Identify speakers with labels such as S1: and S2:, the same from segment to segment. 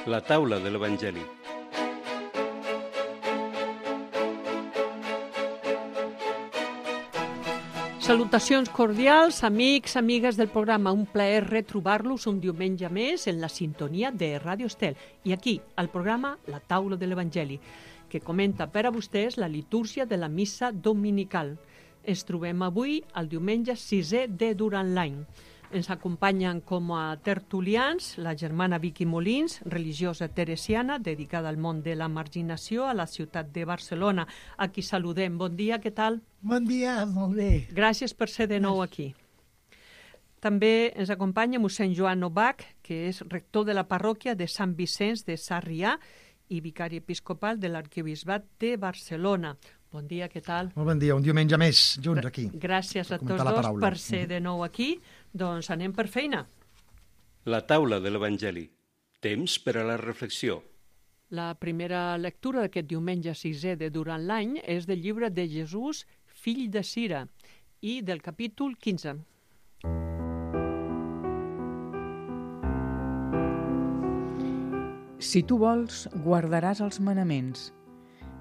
S1: La taula de l'Evangeli.
S2: Salutacions cordials, amics, amigues del programa. Un plaer retrobar-los un diumenge més en la sintonia de Ràdio Estel. I aquí, al programa La taula de l'Evangeli, que comenta per a vostès la litúrgia de la missa dominical. Ens trobem avui al diumenge 6è de durant l'any. Ens acompanyen com a tertulians la germana Vicky Molins, religiosa teresiana, dedicada al món de la marginació a la ciutat de Barcelona. A qui saludem. Bon dia, què tal?
S3: Bon dia, molt bé.
S2: Gràcies per ser de nou aquí. També ens acompanya mossèn Joan Novak, que és rector de la parròquia de Sant Vicenç de Sarrià i vicari episcopal de l'arquebisbat de Barcelona. Bon dia, què tal?
S3: Molt bon dia, un diumenge més, junts aquí.
S2: Gràcies a tots dos per ser de nou aquí. Doncs anem per feina.
S1: La taula de l'Evangeli. Temps per a la reflexió.
S2: La primera lectura d'aquest diumenge 6è de durant l'any és del llibre de Jesús, fill de Sira, i del capítol 15.
S4: Si tu vols, guardaràs els manaments.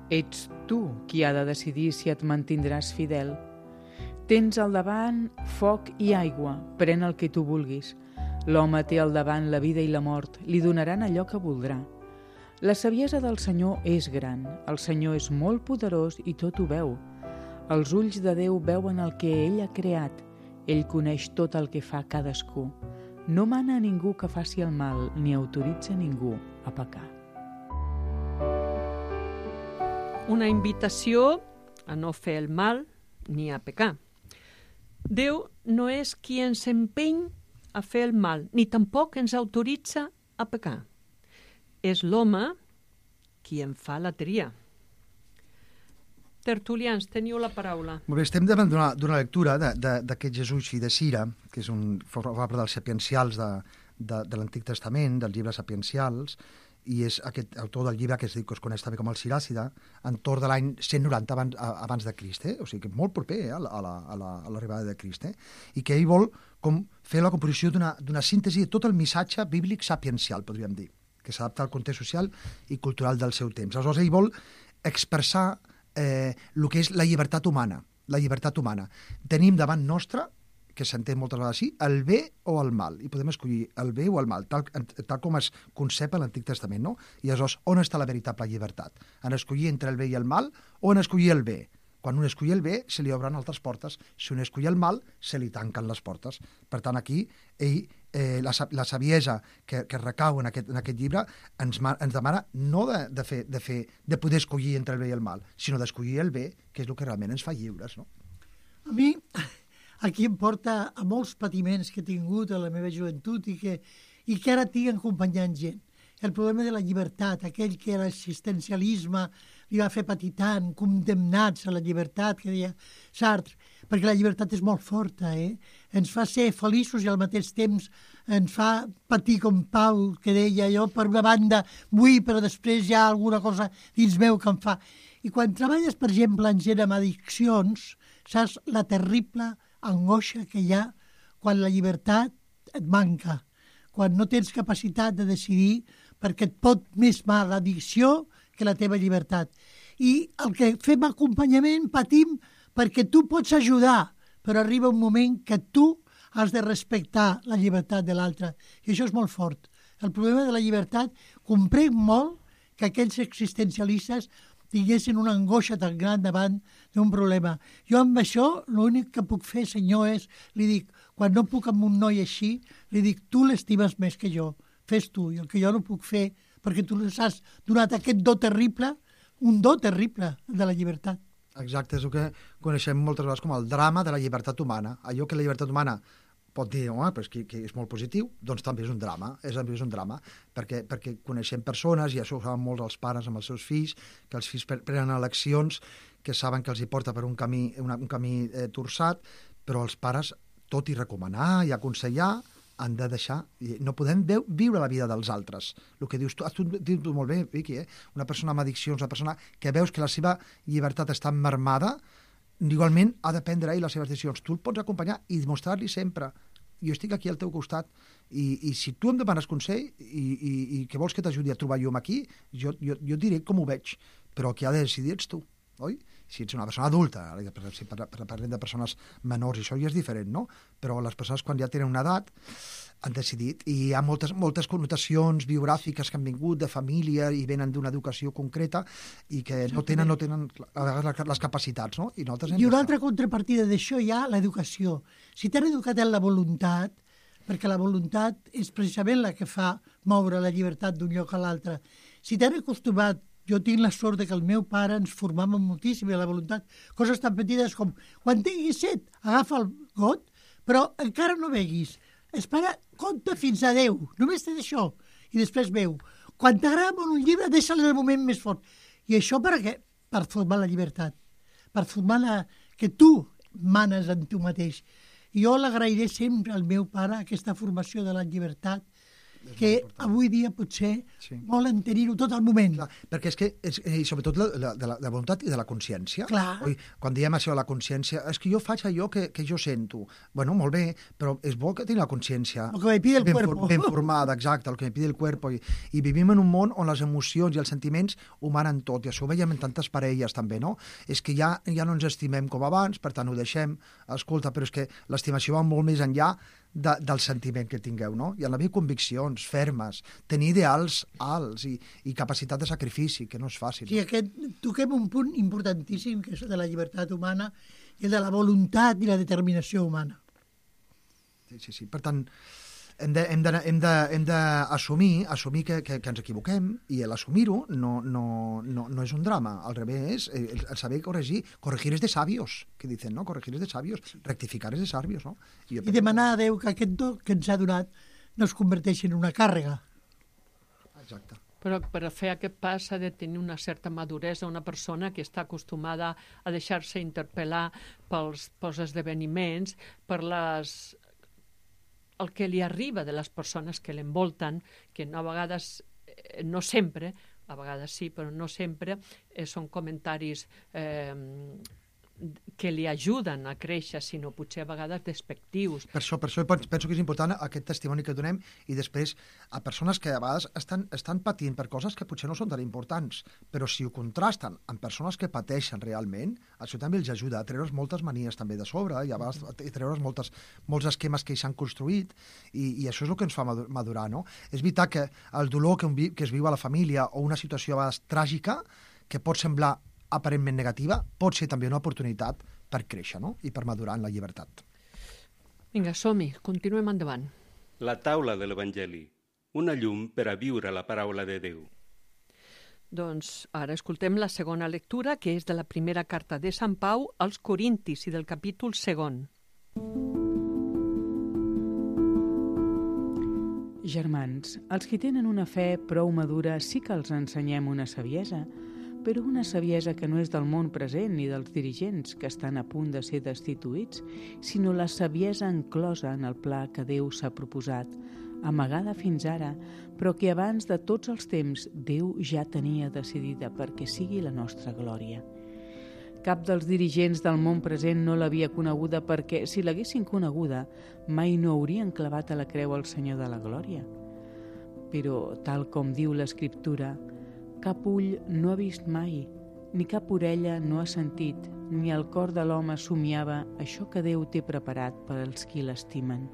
S4: Ets tu qui ha de decidir si et mantindràs fidel. Tens al davant foc i aigua, pren el que tu vulguis. L'home té al davant la vida i la mort, li donaran allò que voldrà. La saviesa del Senyor és gran, el Senyor és molt poderós i tot ho veu. Els ulls de Déu veuen el que ell ha creat, ell coneix tot el que fa cadascú. No mana a ningú que faci el mal, ni autoritza a ningú a pecar.
S2: Una invitació a no fer el mal ni a pecar. Déu no és qui ens empeny a fer el mal, ni tampoc ens autoritza a pecar. És l'home qui en fa la tria. Tertulians, teniu la paraula.
S3: Molt bé, estem davant d'una lectura d'aquest Jesús fill de Sira, que és forma part dels sapiencials de l'Antic Testament, dels llibres sapiencials, i és aquest autor del llibre que es coneix també com el Siràcida, entorn de l'any 190 abans de Crist, o sigui que molt proper a l'arribada de Crist, i que ell vol fer la composició d'una síntesi de tot el missatge bíblic sapiencial, podríem dir, que s'adapta al context social i cultural del seu temps. Aleshores, ell vol expressar el que és la llibertat humana. La llibertat humana. Tenim davant nostre, que s'entén moltes vegades així, el bé o el mal, i podem escollir el bé o el mal, tal com es concep a l'Antic Testament, no? I aleshores, on està la veritable llibertat? En escollir entre el bé i el mal o en escollir el bé? Quan un escollir el bé, se li obren altres portes. Si un escollir el mal, se li tanquen les portes. Per tant, aquí, la saviesa que recau en aquest llibre ens demana no de poder escollir entre el bé i el mal, sinó d'escollir el bé, que és el que realment ens fa lliures, no?
S5: A mi, aquí em porta a molts patiments que he tingut a la meva joventut i que ara tinc acompanyant gent. El problema de la llibertat, aquell que l'assistencialisme li va fer patir tant, condemnats a la llibertat, que deia Sartre, perquè la llibertat és molt forta, ens fa ser feliços i al mateix temps ens fa patir com Pau, que deia jo, per una banda vull, però després hi ha alguna cosa dins meu que em fa. I quan treballes, per exemple, en gent amb addiccions, saps la terrible angoixa que hi ha quan la llibertat et manca, quan no tens capacitat de decidir perquè et pot més mal l'addicció que la teva llibertat. I el que fem acompanyament patim perquè tu pots ajudar, però arriba un moment que tu has de respectar la llibertat de l'altre. I això és molt fort. El problema de la llibertat, comprenc molt que aquells existencialistes tinguessin una angoixa tan gran davant d'un problema. Jo amb això l'únic que puc fer, senyor, és, li dic, quan no puc amb un noi així, li dic, tu l'estimes més que jo, fes tu, i el que jo no puc fer, perquè tu les has donat aquest do terrible, un do terrible de la llibertat.
S3: Exacte, és el que coneixem moltes vegades com el drama de la llibertat humana. Allò que la llibertat humana pot dir però que és molt positiu, doncs també és un drama, perquè coneixem persones, i això ho saben molts els pares amb els seus fills, que els fills prenen eleccions que saben que els hi porta per un camí torçat, però els pares, tot i recomanar i aconsellar, han de deixar, no podem viure la vida dels altres. El que dius tu, has dit molt bé, Vicky, una persona amb addiccions, una persona que veus que la seva llibertat està mermada, igualment ha de prendre ell les seves decisions. Tu el pots acompanyar i mostrar-li sempre jo estic aquí al teu costat i si tu em demanes consell i que vols que t'ajudi a trobar llum aquí, jo et diré com ho veig, però qui ha de decidir ets tu, oi? Si ets una persona adulta, si parlem de persones menors, això ja és diferent, no? Però les persones quan ja tenen una edat han decidit, i hi ha moltes connotacions biogràfiques que han vingut de família i venen d'una educació concreta i que no tenen a vegades les capacitats, no? I
S5: una altra contrapartida d'això hi ha l'educació. Si t'han educat en la voluntat, perquè la voluntat és precisament la que fa moure la llibertat d'un lloc a l'altre. Si t'han acostumat, jo tinc la sort que el meu pare ens formava moltíssim a la voluntat, coses tan petites com quan tinguis set, agafa el got, però encara no beguis. Espera, compta fins a 10, només té això. I després veu, quan t'agrada molt un llibre, deixa'l en el moment més fort. I això per què? Per formar la llibertat, per formar que tu manes en tu mateix. I jo l'agrairé sempre al meu pare, aquesta formació de la llibertat, que avui dia potser volen tenir-ho tot al moment.
S3: Clar, perquè és que, i sobretot de la voluntat i de la consciència.
S5: Clar.
S3: Quan diem això de la consciència, és que jo faig allò que jo sento. Bueno, molt bé, però és bo que tingui la consciència ben formada, exacte, el que me pide el cuerpo. I vivim en un món on les emocions i els sentiments ho manen tot, i això ho veiem en tantes parelles també, no? És que ja no ens estimem com abans, per tant ho deixem. Escolta, però és que l'estimació va molt més enllà del sentiment que tingueu, no? I han d'haver conviccions fermes, tenir ideals alts i capacitat de sacrifici, que no és fàcil.
S5: Sí, toquem un punt importantíssim, que és el de la llibertat humana i el de la voluntat i la determinació humana.
S3: Sí. Per tant, hem d'assumir que ens equivoquem, i l'assumir-ho no és un drama, al revés, el saber corregir és de sabios, que dicen, no? Corregir és de sabios, rectificar és de sabios, no?
S5: I demanar a Déu que aquest do que ens ha donat no es converteixi en una càrrega.
S3: Exacte.
S2: Però per fer aquest pas s'ha de tenir una certa maduresa, una persona que està acostumada a deixar-se interpel·lar pels esdeveniments, per el que li arriba de les persones que l'envolten, que a vegades, no sempre, a vegades sí, però no sempre, són comentaris que li ajuden a créixer, sinó potser a vegades despectius.
S3: Per això penso que és important aquest testimoni que donem, i després a persones que a vegades estan patint per coses que potser no són tan importants, però si ho contrasten amb persones que pateixen realment, això també els ajuda a treure's moltes manies també de sobre, i a vegades treure's molts esquemes que s'han construït, i això és el que ens fa madurar, no? És veritat que el dolor que es viu a la família, o una situació a vegades tràgica, que pot semblar aparentment negativa, pot ser també una oportunitat per créixer, no? I per madurar en la llibertat.
S2: Vinga, som-hi, continuem endavant.
S1: La taula de l'Evangeli, una llum per a viure la paraula de Déu.
S2: Doncs ara escoltem la segona lectura, que és de la primera carta de Sant Pau als Corintis i del capítol 2.
S4: Germans, els que tenen una fe prou madura sí que els ensenyem una saviesa, però una saviesa que no és del món present ni dels dirigents que estan a punt de ser destituïts, sinó la saviesa enclosa en el pla que Déu s'ha proposat, amagada fins ara, però que abans de tots els temps Déu ja tenia decidida perquè sigui la nostra glòria. Cap dels dirigents del món present no l'havia coneguda perquè, si l'haguessin coneguda, mai no haurien clavat a la creu el Senyor de la Glòria. Però, tal com diu l'Escriptura, cap ull no ha vist mai, ni cap orella no ha sentit, ni el cor de l'home somiava això que Déu té preparat per als qui l'estimen.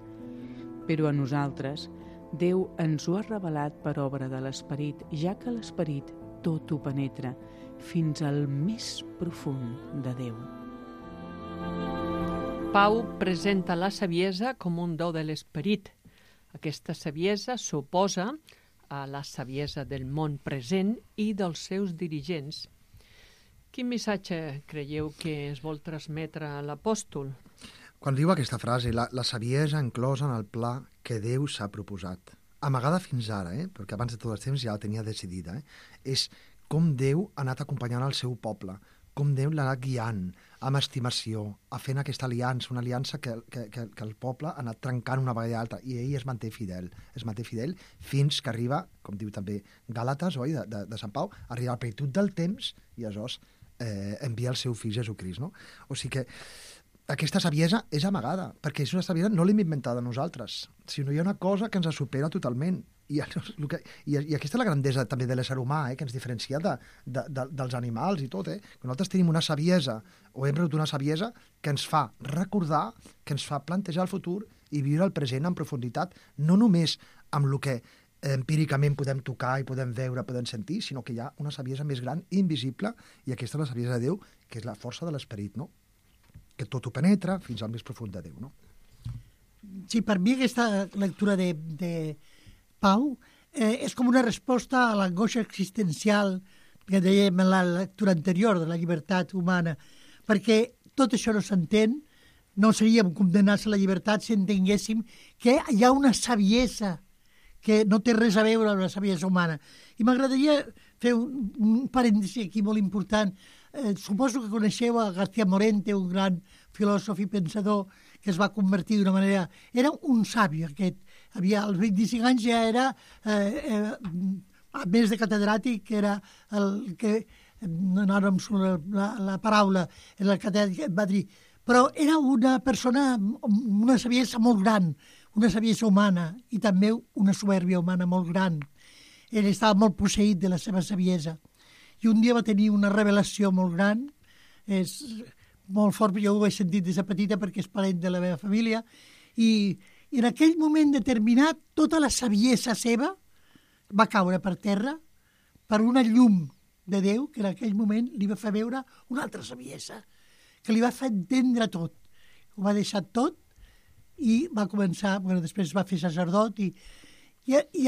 S4: Però a nosaltres, Déu ens ho ha revelat per obra de l'Esperit, ja que l'Esperit tot ho penetra, fins al més profund de Déu.
S2: Pau presenta la saviesa com un do de l'Esperit. Aquesta saviesa s'oposa a la saviesa del món present i dels seus dirigents. Quin missatge creieu que es vol transmetre a l'apòstol?
S3: Quan diu aquesta frase, la saviesa enclosa en el pla que Déu s'ha proposat, amagada fins ara, perquè abans de tot el temps ja la tenia decidida, és com Déu ha anat acompanyant el seu poble, com Déu l'ha anat guiant amb estimació, a fent aquesta aliança, una aliança que el poble ha anat trencant una vegada i altra, i ell es manté fidel fins que arriba, com diu també Gàlates, oi, de Sant Pau, arriba a la plenitud del temps i aleshores envia el seu fill Jesucrist, no? O sigui que aquesta saviesa és amagada, perquè és una saviesa no l'hem inventada nosaltres, sinó hi ha una cosa que ens supera totalment. I aquesta és la grandesa també de l'ésser humà, que ens diferencia dels animals i tot, que nosaltres tenim una saviesa, o hem rebut una saviesa que ens fa recordar, que ens fa plantejar el futur i viure el present en profunditat, no només amb el que empíricament podem tocar i podem veure, podem sentir, sinó que hi ha una saviesa més gran, invisible, i aquesta és la saviesa de Déu, que és la força de l'esperit, no? Que tot ho penetra fins al més profund de Déu, no?
S5: Sí, per mi aquesta lectura de Pau és com una resposta a l'angoixa existencial que dèiem en la lectura anterior de la llibertat humana, perquè tot això no s'entén, no seríem condemnats a la llibertat si entenguéssim que hi ha una saviesa que no té res a veure amb la saviesa humana. I m'agradaria fer un parèntesi aquí molt important. Suposo que coneixeu a García Morente, un gran filòsof i pensador que es va convertir d'una manera... Era un sàvi, aquest. Als 25 anys ja era, a més de catedràtic, era el que... No em surt la paraula, el catedràtic va dir... Però era una persona, una saviesa molt gran, una saviesa humana i també una soberbia humana molt gran. Ell estava molt posseït de la seva saviesa. I un dia va tenir una revelació molt gran, és molt fort, jo ho he sentit des de petita perquè és parent de la meva família, i en aquell moment determinat tota la saviesa seva va caure per terra per una llum de Déu que en aquell moment li va fer veure una altra saviesa, que li va fer entendre tot. Ho va deixar tot i va començar, després va fer sacerdot i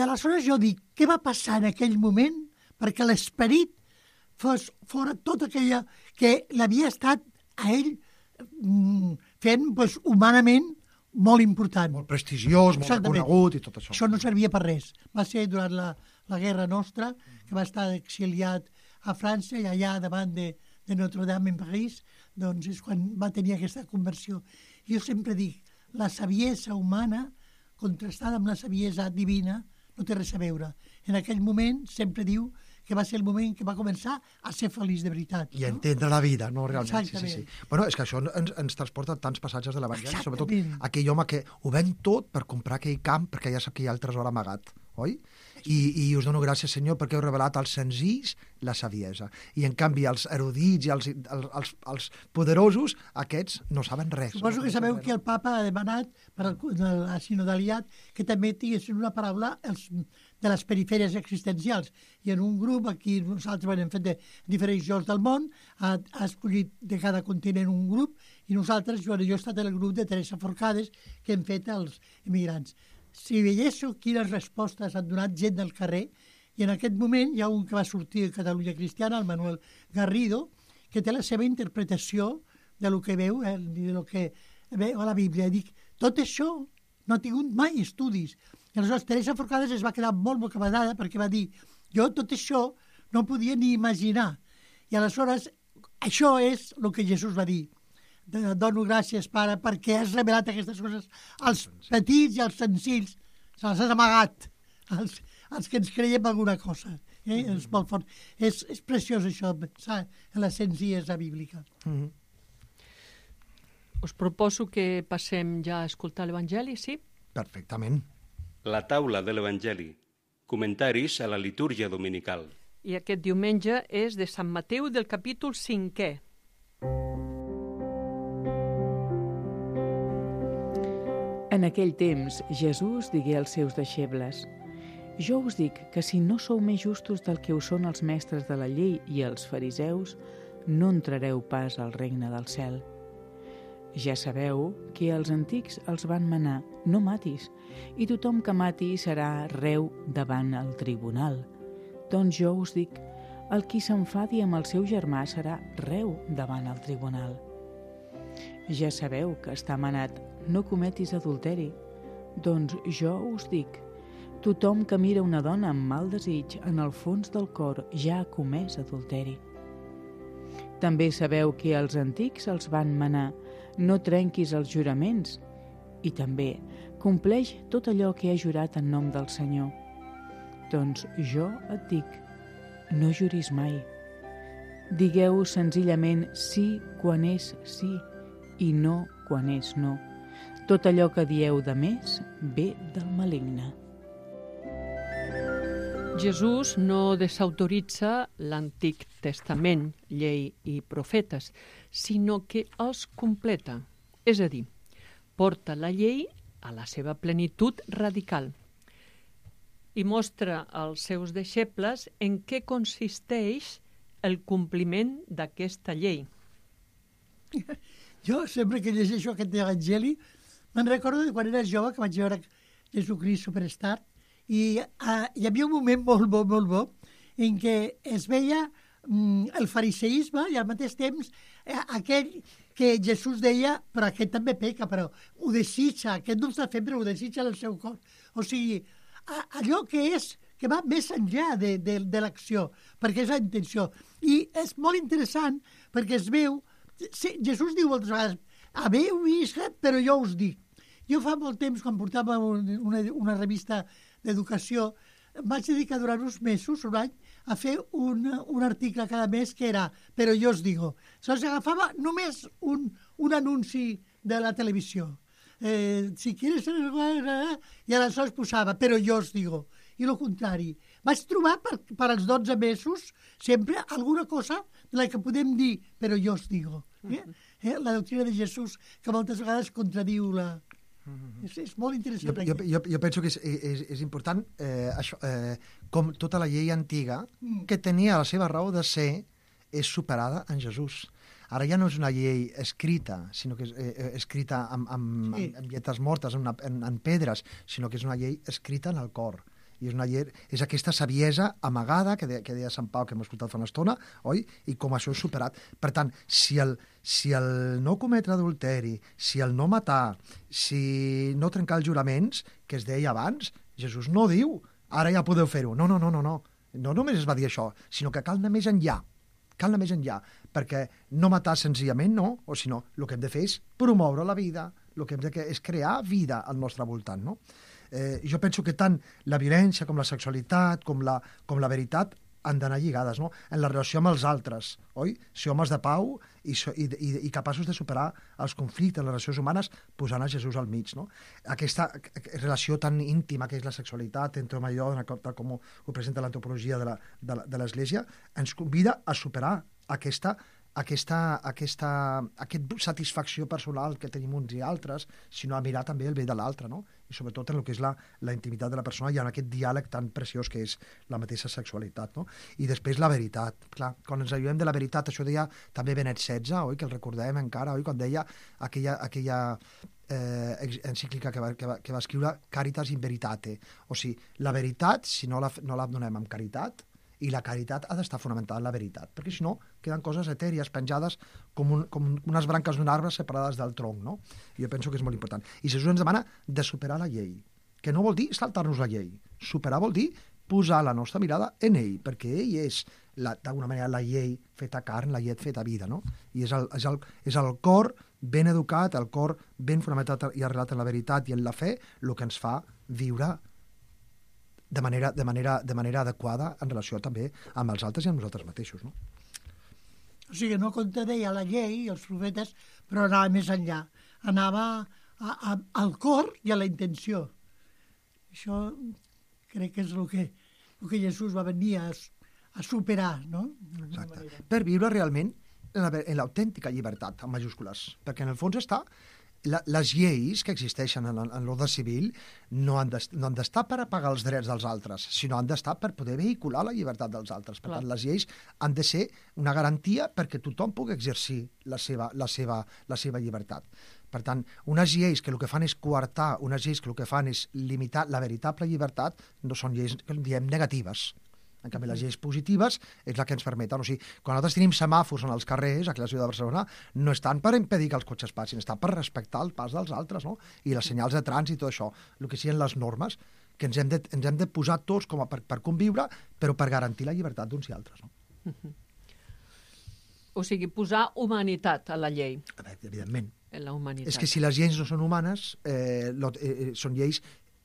S5: aleshores jo dic, què va passar en aquell moment perquè l'esperit fos fora tot aquella que l'havia estat a ell fent humanament molt important.
S3: Molt prestigiós, molt reconegut i tot això.
S5: Això no servia per res. Va ser durant la Guerra Nostra, que va estar exiliat a França i allà davant de Notre-Dame en París, doncs és quan va tenir aquesta conversió. Jo sempre dic, la saviesa humana contrastada amb la saviesa divina no té res a veure. En aquell moment sempre diu que va ser el moment que va començar a ser feliç de veritat.
S3: I a entendre la vida, no? Realment.
S5: Exactament.
S3: Sí. Bueno, és que això ens transporta tants passatges de l'Evangeli, sobretot aquell home que ho ven tot per comprar aquell camp perquè ja sap que hi ha el tresor amagat, oi? I us dono gràcies, Senyor, perquè heu revelat als senzills la saviesa. I, en canvi, els erudits i els poderosos, aquests no saben res.
S5: Suposo que sabeu que el papa ha demanat per la sinodalitat que també tinguessin una paraula de les perifèries existencials. I en un grup, aquí nosaltres hem fet de diferents llocs del món, ha escollit de cada continent un grup, i nosaltres, jo he estat en el grup de Teresa Forcades, que hem fet els immigrants. Si veiéssiu quines respostes han donat gent del carrer, i en aquest moment hi ha un que va sortir de Catalunya Cristiana, el Manuel Garrido, que té la seva interpretació de lo que veu, de lo que veu a la Bíblia. Dic, tot això no ha tingut mai estudis. I aleshores Teresa Forcades es va quedar molt bocabadada perquè va dir, jo tot això no podia ni imaginar. I aleshores això és el que Jesús va dir. Dono gràcies, Pare, perquè has revelat aquestes coses als petits i als senzills. Se les has amagat, als que ens creiem alguna cosa. És molt fort. És preciós això, pensar en la senzillesa bíblica.
S2: Us proposo que passem ja a escoltar l'Evangeli, sí?
S3: Perfectament.
S1: La taula de l'Evangeli. Comentaris a la litúrgia dominical.
S2: I aquest diumenge és de Sant Mateu del capítol 5è.
S4: En aquell temps, Jesús digué als seus deixebles: Jo us dic que si no sou més justos del que ho són els mestres de la llei i els fariseus, no entrareu pas al regne del cel. Ja sabeu que els antics els van manar: no matis, i tothom que mati serà reu davant el tribunal. Doncs jo us dic, el qui s'enfadi amb el seu germà serà reu davant el tribunal. Ja sabeu que està manat: no cometis adulteri. Doncs jo us dic, tothom que mira una dona amb mal desig, en el fons del cor ja ha comès adulteri. També sabeu que els antics els van manar: no trenquis els juraments. I també, compleix tot allò que he jurat en nom del Senyor. Doncs jo et dic, no juris mai. Digueu senzillament sí quan és sí i no quan és no. Tot allò que dieu de més ve del maligne.
S2: Jesús no desautoritza l'Antic Testament, llei i profetes, sinó que els completa, és a dir, porta la llei a la seva plenitud radical i mostra als seus deixebles en què consisteix el compliment d'aquesta llei.
S5: Jo, sempre que llegeixo aquest evangeli, me'n recordo de quan era jove, que vaig veure Jesucrist Superstar, i hi havia un moment molt bo, en què es veia el fariseisme i al mateix temps aquell que Jesús deia, però aquest també peca, però ho desitja, aquest no ho està fent, però ho desitja en el seu cor. O sigui, allò que va més enllà de l'acció, perquè és la intenció. I és molt interessant perquè es veu, Jesús diu moltes vegades, haveu vist, però jo us dic. Jo fa molt temps, quan portava una revista d'educació, vaig dedicar durant uns mesos, un any, a fer un article cada mes que era «Però jo os digo». Agafava només un anunci de la televisió. Si quieres... I aleshores posava «Però jo os digo». I el contrari. Vaig trobar per als 12 mesos sempre alguna cosa de la que podem dir «Però jo os digo». La doctrina de Jesús, que moltes vegades contradiu la... És molt interessant.
S3: Jo penso que és important com tota la llei antiga, que tenia la seva raó de ser, és superada en Jesús. Ara ja no és una llei escrita, sinó que és escrita amb lletres mortes, en pedres, sinó que és una llei escrita en el cor. I és aquesta saviesa amagada que deia Sant Pau, que hem escoltat fa una estona, oi? I com això és superat. Per tant, si el no cometre adulteri, si el no matar, si no trencar els juraments, que es deia abans, Jesús no diu, ara ja podeu fer-ho. No. No només es va dir això, sinó que cal anar més enllà. Cal anar més enllà, perquè no matar senzillament no, o sinó el que hem de fer és promoure la vida, el que hem de fer és crear vida al nostre voltant, no? Jo penso que tant la violència com la sexualitat, com la veritat, han d'anar lligades, no? En la relació amb els altres, oi? Ser homes de pau i capaços de superar els conflictes, les relacions humanes, posant a Jesús al mig, no? Aquesta relació tan íntima que és la sexualitat entre home i dona, com ho presenta l'antropologia de l'Església, ens convida a superar aquesta satisfacció personal que tenim uns i altres, sinó a mirar també el bé de l'altre, no? I sobretot en el que és la intimitat de la persona i en aquest diàleg tan preciós que és la mateixa sexualitat, no? I després la veritat. Clar, quan ens alludem de la veritat, això deia també Benet XVI, oi? Que el recordem encara, oi? Quan deia aquella encíclica que va escriure Caritas in Veritate. O sigui, la veritat, si no la donem amb caritat, i la caritat ha d'estar fonamentada en la veritat, perquè si no queden coses etèries penjades com unes branques d'un arbre separades del tronc, no? I jo penso que és molt important. I Jesús ens demana de superar la llei, que no vol dir saltar-nos la llei. Superar vol dir posar la nostra mirada en ell, perquè ell és d'alguna manera la llei feta carn, la llei feta vida, no? I és el cor ben educat, el cor ben fonamentat i arrelat en la veritat i en la fe, el que ens fa viure de manera adequada en relació també amb els altres i amb nosaltres mateixos, no?
S5: O sigui, no contradeia la llei i els profetes, però anava més enllà. Anava al cor i a la intenció. Això crec que és el que Jesús va venir a superar, no?
S3: Exacte. Per viure realment en l'autèntica llibertat, en majúscules, perquè en el fons està les lleis que existeixen en l'ordre civil no han d'estar per apagar els drets dels altres, sinó han d'estar per poder vehicular la llibertat dels altres. Per tant, les lleis han de ser una garantia perquè tothom pugui exercir la seva llibertat. Per tant, unes lleis que el que fan és coartar, unes lleis que el que fan és limitar la veritable llibertat, no són lleis que diem negatives. En canvi, les lleis positives és la que ens permeten. O sigui, quan nosaltres tenim semàfors en els carrers, aquí a la ciutat de Barcelona, no estan per impedir que els cotxes passin, estan per respectar el pas dels altres, no? I les senyals de trànsit i tot això, el que siguin les normes, que ens hem de posar tots com per conviure, però per garantir la llibertat d'uns i altres, no?
S2: O sigui, posar humanitat a la llei.
S3: Evidentment.
S2: En la humanitat.
S3: És que si les lleis no són humanes, són lleis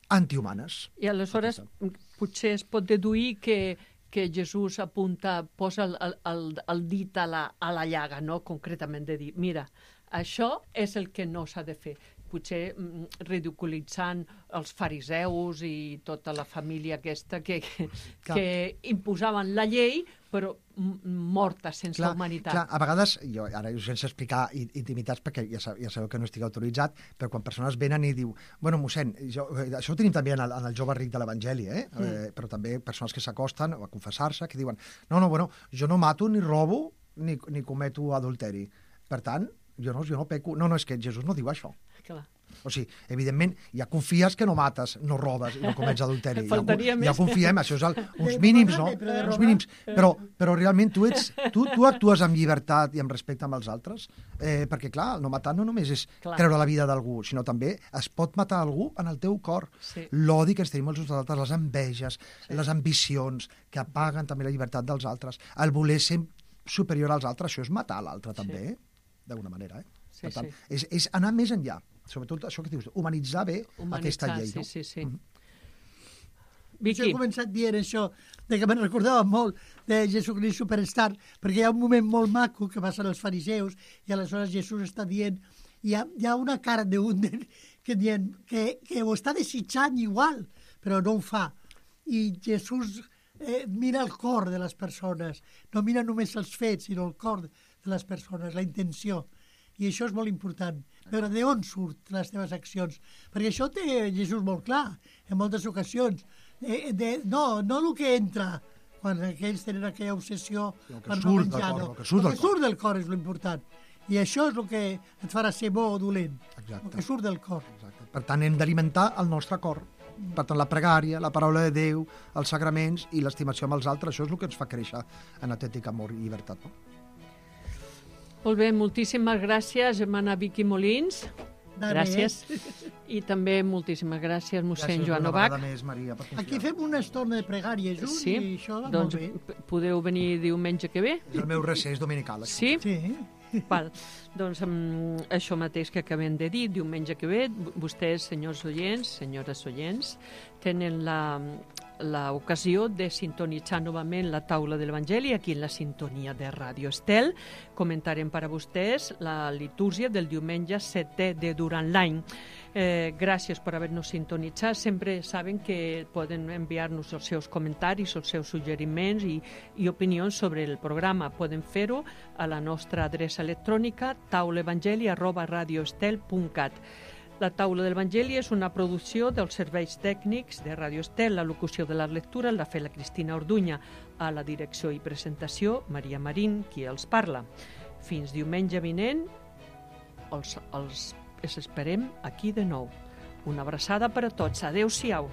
S3: antihumanes.
S2: I aleshores potser es pot deduir que Jesús posa el dit a la llaga, no? Concretament de dir, mira, Això és el que no s'ha de fer. Potser ridiculitzant els fariseus i tota la família aquesta que imposaven la llei, però morta sense humanitat.
S3: Clar, a vegades, jo ara sense explicar intimitats, perquè ja sabeu que no estic autoritzat, però quan persones venen i diu, bueno, mossèn, això ho tenim també en el jove ric de l'Evangeli, però també persones que s'acosten a confessar-se, que diuen, no, jo no mato, ni robo, ni cometo adulteri. Per tant, jo no peco. No, és que Jesús no diu això.
S2: Clar.
S3: O sigui, evidentment, ja confies que no mates, no robes i no comets adulteri.
S2: Ja
S3: confiem, això és uns mínims, no? Uns mínims. Però realment tu actues amb llibertat i amb respecte amb els altres, perquè, clar, no matar no només és treure la vida d'algú, sinó també es pot matar algú en el teu cor. Sí. L'odi que ens tenim els uns als altres, les enveges, les ambicions, que apaguen també la llibertat dels altres. El voler ser superior als altres, això és matar l'altre també, d'alguna manera. Per tant, és anar més enllà. Sobretot això que dius, humanitzar bé aquesta llei.
S2: Sí.
S5: Vicky. Jo he començat dient això, que me'n recordava molt de Jesucrist Superstar, perquè hi ha un moment molt maco que passen els fariseus i aleshores Jesús està dient, hi ha una cara d'un que dient que ho està desitjant igual, però no ho fa. I Jesús mira el cor de les persones, no mira només els fets, sinó el cor de les persones, la intenció. I això és molt important, veure d'on surt les teves accions. Perquè això té Jesús molt clar, en moltes ocasions. No el que entra, quan aquells tenen aquella obsessió per no menjar. El que surt del cor és l'important. I això és el que et farà ser bo o dolent. El que surt del cor.
S3: Exacte. Per tant, hem d'alimentar el nostre cor. Per tant, la pregària, la paraula de Déu, els sagraments i l'estimació amb els altres, això és el que ens fa créixer en autèntic amor i llibertat. No?
S2: Molt bé, moltíssimes gràcies, germana Vicky Molins. Gràcies. I també moltíssimes gràcies, mossèn Joan Novak.
S5: Aquí fem una estona de pregària junts i això va molt bé.
S2: Podeu venir diumenge que ve?
S3: És el meu recés dominical.
S2: Sí? Val. Doncs això mateix que acabem de dir, diumenge que ve, vostès, senyors oients, senyores oients, tenen l'ocasió de sintonitzar novament la taula de l'Evangeli aquí en la sintonia de Ràdio Estel. Comentarem per a vostès la litúrgia del diumenge 7è de durant l'any. Gràcies per haver-nos sintonitzat. Sempre saben que poden enviar-nos els seus comentaris, els seus suggeriments i opinions sobre el programa. Poden fer-ho a la nostra adreça electrònica taulaevangeli@radioestel.cat. La taula de l'Evangeli és una producció dels serveis tècnics de Ràdio Estel. La locució de les lectures l'ha fet la Cristina Orduña. A la direcció i presentació, Maria Marín, qui els parla. Fins diumenge vinent, els esperem aquí de nou. Una abraçada per a tots. Adéu-siau.